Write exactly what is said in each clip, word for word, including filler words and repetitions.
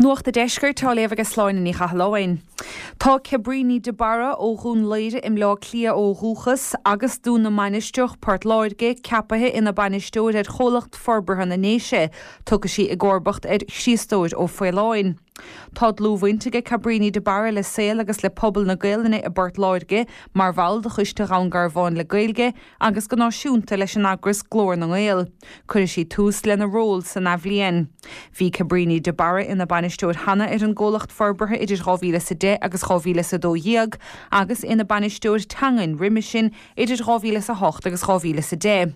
Nuacht an Deiscirt á léamh ag Sláine Ní Chathalláin. Tá Cabríní de Barra ó Dhún Laoghaire i mBleá Cliath ó dhúchas agus Dún na Mainistreach Port Láirge ceaptha ina bainisteoir ar chomhlacht forbartha na nDéise, Tiocfaidh sí i gcomharbacht ar Chriostóir Ó Faoláin. Tá dlúthbhaint aige Cabríní de Barra le saol agus le pobal na Gaelainne i bPort Láirge mar bhall de choiste Dhún Garbhán le Gaeilge agus go náisiúnta leis an eagras Glór na nGael. Cuirfidh sí tús lena ról san athbhliain. Bhí Cabríní de Barra ina bainisteoir cheana ar an gcomhlacht forbartha idir dhá mhíle is a deich agus dhá mhíle is a dó dhéag agus ina bainisteoir teangan roimhe sin idir dhá mhíle is a hocht agus dhá mhíle is a deich.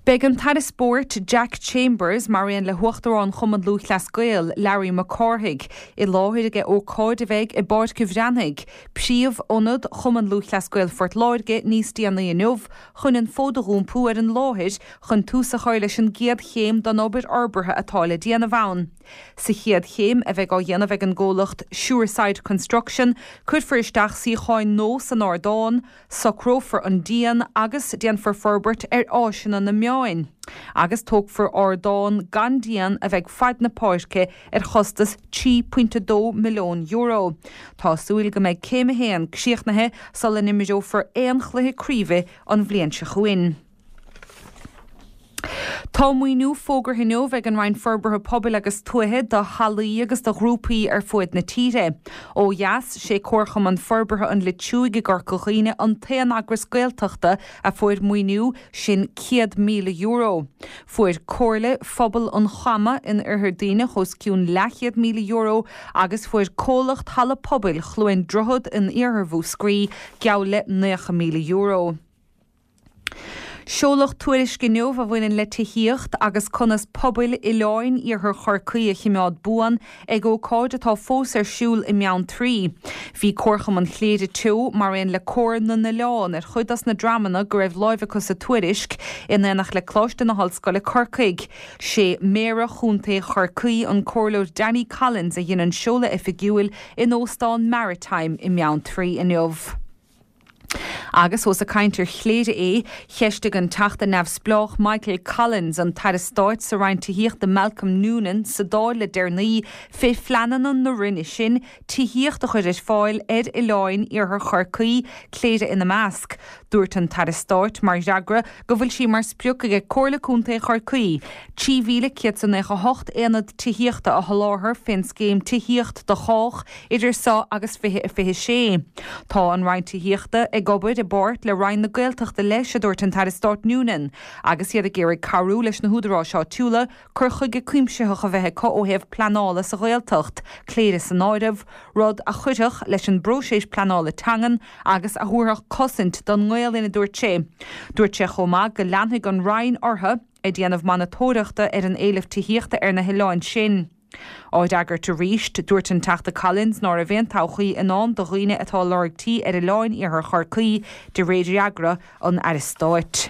Beidh an tAire Spóirt Jack Chambers mar aon le hUachtarán Chumann Lúthchleas Gael Larry Mac Cárthaigh i láthair ag ócáid a bheidh i bPáirc an Bhreathnaigh, príomhionad Chumann Lúthchleas Gael Phort Láirge níos déanaí inniu chun an fód a dh'iompú ar an láthair chun tús a chur leis an gcéad chéim den obair fhorbartha atá le déanamh ann. Sa chéad chéim a bheidh á dhéanamh ag an gcomhlacht Sureside Construction, cuirfear isteach suíocháin nua san ardán, socrófar an díon agus déanfar forbairt ar áiseanna na meáin, agus tógfar ardán gan díon a bheidh fad na páirce ar chostas trí pointe dó milliún euro. Tá súil go mbeidh céim a haon críochnaithe sula n-imreofar aon chluiche craoibhe an bhliain seo chugainn. Tá maoiniú fógartha inniu ag an Roinn Forbartha Pobail agus Tuaithe do hallaí agus do ghrúpaí ar fuaid na tíre. Ó dheas sé Comharchumann Forbartha an Leitriúigh i gCorca Dhuibhne an t-aon eagras Gaeltachta a fuair maoiniú sin céad míle euro. Fuair Comhairle Phobal an Chama in Oirthear Duibhneach os cionn leathchéad míle euro agus fuair Comhlacht Halla Pobail Chluain Droichead in Iarthar Mhúscraí geall le naocha míle euro. Seoladh tuairisc inniu a bhaineann le tithíocht agus conas pobail oileáin iarthar Chorcaí a choimeád buan ag ócáid atá fós ar siúl i mBeanntraí. Bhí Comharchumann Chléire Teo mar aon le Comhar na nOileán ar chuid dos na dreamanna go raibh láimh acu sa tuairisc in éineacht le Coláiste na hOllscoile Corcaigh. Sé Méara Chontae Chorcaí an Comhairleoir Danny Collins a dhein an seoladh oifigiúil in Óstán Maritime i mBeanntraí inniu. Agus ós ag caint ar Chléire é, cheistigh an Teachta Neamhspleách Michael Collins an tAire Stáit sa Roinn Tithíochta Malcolm Noonan sa Dáil le deireanaí fé phleananna na Roinne sin tithíocht a chur ar fáil ar oileáin iarthar Chorcaí, Cléire ina measc. Dúirt an tAire Stáit mar fhreagra go bhfuil sé mar sprioc ag Comhairle Contae Chorcaí, trí mhíle céad is nócha a hocht aonad tithíochta a sholáthar fén scéim tithíocht do chách idir seo agus fiche a fiche sé. Tá an Roinn Tithíochta ag obair i bpáirt le Roinn na Gaeltachta leis, a dúirt an tAire Stáit Noonan, agus iad ag iarraidh cabhrú leis na húdaráis áitiúla cur chuige cuimsitheach a bheith acu ó thaobh pleanála sa Ghaeltacht, Cléire san áireamh, rud a chuirfeadh leis an bpróiseas pleanála teangan agus a thabharfadh cosaint don nGaelainn, a dúirt sé. Dúirt sé chomh maith go leanfaidh an Roinn orthu ag déanamh monatóireachta ar an éileamh tithíochta ar na hoileáin sin. Á fhreagairt arís, dúirt an Teachta Collins ná raibh aon todhchaí i ndán do dhaoine atá ag lorg tí ar oileáin iarthar Chorcaí de réir fhreagra an Aire Stáit.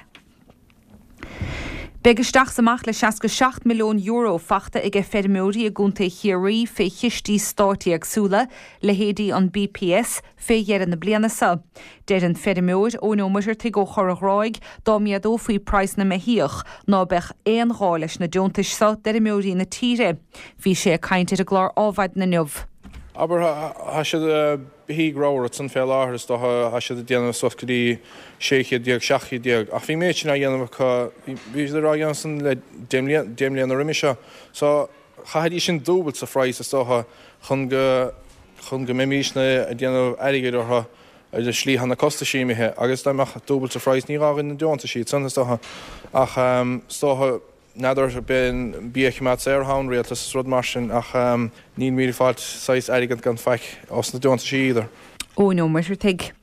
Beidh isteach is amach le seasca seacht milliún euro fachta aige feirmeoirí i gContae Chiarraí fé chistí stáit éagsúla, leithéidí an BPS, fé dheireadh na bliana seo. Deir an feirmeoir Eoin Ó Muircheartaigh ó Chorr an Ghráig dá méadófaí praghas na mbeithíoch ná beadh aon ghá leis na deontais seo d'fheirmeoirí na tíre. Bhí sé ag caint ar an gclár Adhmhaidin inniu. Abair, tá siad beithígh ramhar ansan fé láthair is dócha, tá siad ag déanamh suas go dtí sé chéad déag, seacht chéad déag, ach bhí an méid sin á dhéanamh acu, bhí siad á dhéanamh san le deich deich mbliana roimhe seo. So, chaithfidís sin dúbailt sa phraghas is dócha chun go, chun go mbeimísne ag déanamh airgid orthu ar an slí tá na costaisí imithe agus dá mbeadh dúbailt sa phraghas ní gá dhúinn na deontaisí ansan is dócha ach is dócha n'fheadar b'é an bia a choimeád saor atá an rialtas is rud mar sin ach nílimid ag fáilt saghas airgead gan faic os na deontaisí either. Eoin Ó Muircheartaigh.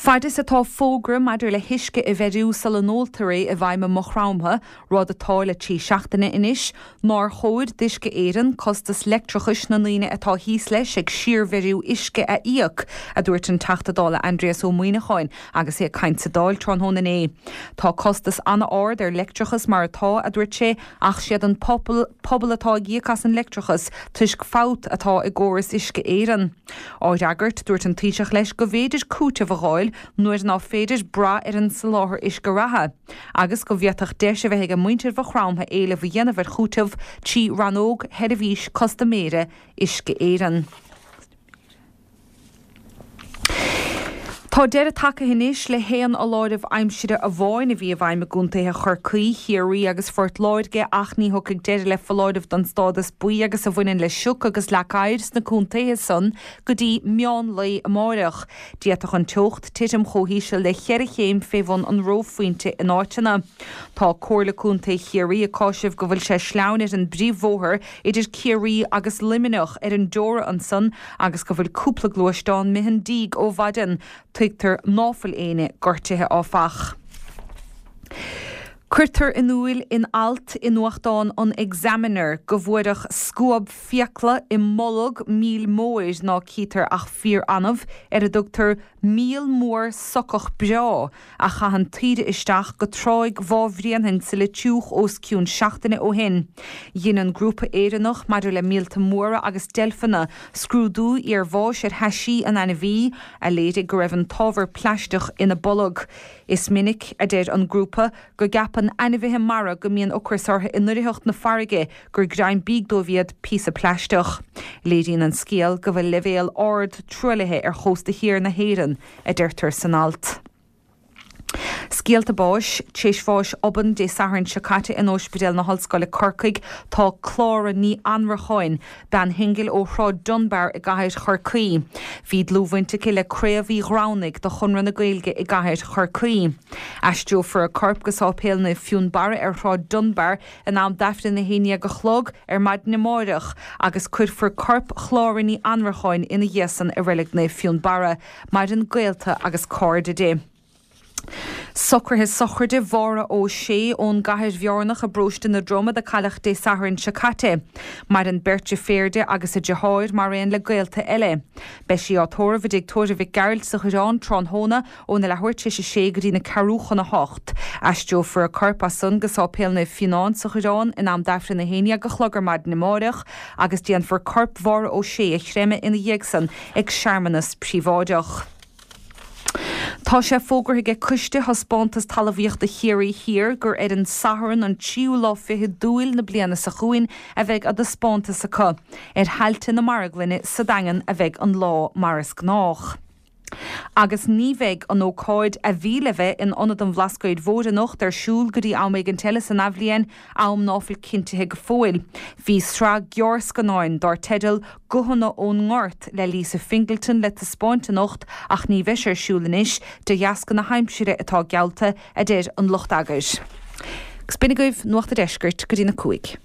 Fad is atá fógra maidir le huisce a bheiriú sula n-óltar é i bhfeidhm i Maigh Chromtha, rud atá le trí seachtaine anois, nár chóir d'Uisce Éireann costas leictreachais na ndaoine atá thíos leis ag síorbheiriú uisce a íoc, a dúirt an Teachta Dála Aindrias Ó Muimhneacháin agus é ag caint sa Dáil tráthnóna inné. Tá costas an-ard ar leictreachas mar atá, a dúirt sé, ach siad an pobal pobal atá ag íoc as an leictreachas toisc fabht atá i gcóras Uisce Éireann. Á fhreagairt, dúirt an Taoiseach leis go bhféidir cúiteamh a fháil nuair ná féidir brath ar an soláthar uisce reatha, agus go bhféadfadh deis a bheith ag muintir Mhaigh Chromtha éileamh a dhéanamh ar chúiteamh trí rannóg sheirbhís custaiméara Uisce Éireann. Tá deireadh tagtha anois le haon fholáireamh aimsire amháin a bhí i bhfeidhm i gcontaetha Chorcaí, Chiarraí agus Phort Láirge ach ní thiocfaidh deireadh le foláireamh don stádas buí agus a bhaineann le sioc agus leac oighir sna contaetha san go dtí meán lae amáireach. D'fhéadfadh an teocht titim chomh híseal le ceithre chéim fé bhun an reophointe in áiteanna. Tá Comhairle Contae Chiarraí ag cáiseamh go bhfuil sé sleamhain ar an bpríomhbhóthar idir Ciarraí agus Luimneach ar an dteora ansan agus go bhfuil cúpla gluaisteán imithe 'on díg ó mhaidin. Tuigtear ná fuil éinne gortaithe áfach. Cuirtear in iúil in alt i nuachtán an Examiner go bhfuaireadh scuab fiacla i mbolg míl mhóir ná cítear ach fíor-annamh ar a dtugtar míol mór socach breá a chaitheann taoide isteach go tráigh Bhá Bhréanainn sa Leitriúch os cionn seachtaine ó shin. Dhein an Grúpa Éireannach maidir le Míolta Móra agus Deilfeanna scrúdú iarbháis ar thaisí an ainmhí, a léirigh go raibh an t-ábhar plaisteach ina bolg. Is minic, a deir an grúpa, go gceapann ainmhithe mara go mbíonn ocras orthu i ndoimhneacht na farraige gur greim bídh dóibh iad píosa plaisteach. Léiríonn an scéal go bhfuil leibhéal ard truaillithe ar chósta thiar na hÉireann, a deirtear san alt. Scéalta báis, Tar éis bháis obann Dé Sathairn seo caite in Ospidéal na hOllscoile Corcaigh tá Clára Ní Annracháin, bean shingil ó Shráid Dunbar i gcathair Chorcaí. Bhí dlúthbhaint aici le Craobh Uí Ghramhnaigh de Chonradh na Gaeilge i gcathair Chorcaí. Aistreofar a corp go Sáipéal Naomh Fionnbarra ar Shráid Dunbar in am d'Aifreann a haon dhéag a chlog ar maidin amáireach agus cuirfear corp Chlára Ní Annracháin ina dhiaidh san i Reilig Naomh Fionnbarra. Maireann gaolta agus cairde di. Socruithe sochraide Mháire Ó Sé ón gCathair Bhearnach i bparóiste na Dromad a cailleadh Dé Sathairn seo caite. Maireann beirt deirféar di agus a deartháir mar aon le gaolta eile. Beidh sí á tórramh i dtigh tórraimh Mhic Gearailt sa Choireán tráthnóna óna leathuair tar éis a sé go dtí na ceathrú chun a hocht. Aistreofar a corp as san go Sáipéal Naomh Fionán sa Choireán in am d'Aifreann a haon dhéag a chlog ar maidin amáireach agus déanfar corp Mháire Ó Sé a chreimeadh ina dhiaidh san ag searmanas príobháideach. Tá sé fógartha ag Coiste Thaispeántas Talmhaíochta Chiarraí Thiar gur ar an Satharn an tríú lá fichead d'Iúil na bliana seo chugainn a bheidh a dtaispeántas acu. Ar thailte na Marglainne sa Daingean a bheidh an lá mar is gnách. Agus ní bheidh an ócáid a bhí le bheith in Ionad an Bhlascaoid Mhóir anocht ar siúl go dtí am éigint eile san athbhliain, am ná fuil cinntithe go fóill. Bhí sraith gearrscannáin dár teideal 'Guthanna ón nGort' le Lisa Fingleton le taispeáint anocht ach ní bheidh sé ar siúl anois de dheasca na haimsire atá geallta, a deir an lucht eagair. Agus b'in agaibh Nuacht a' Deiscirt go dtí na cúig.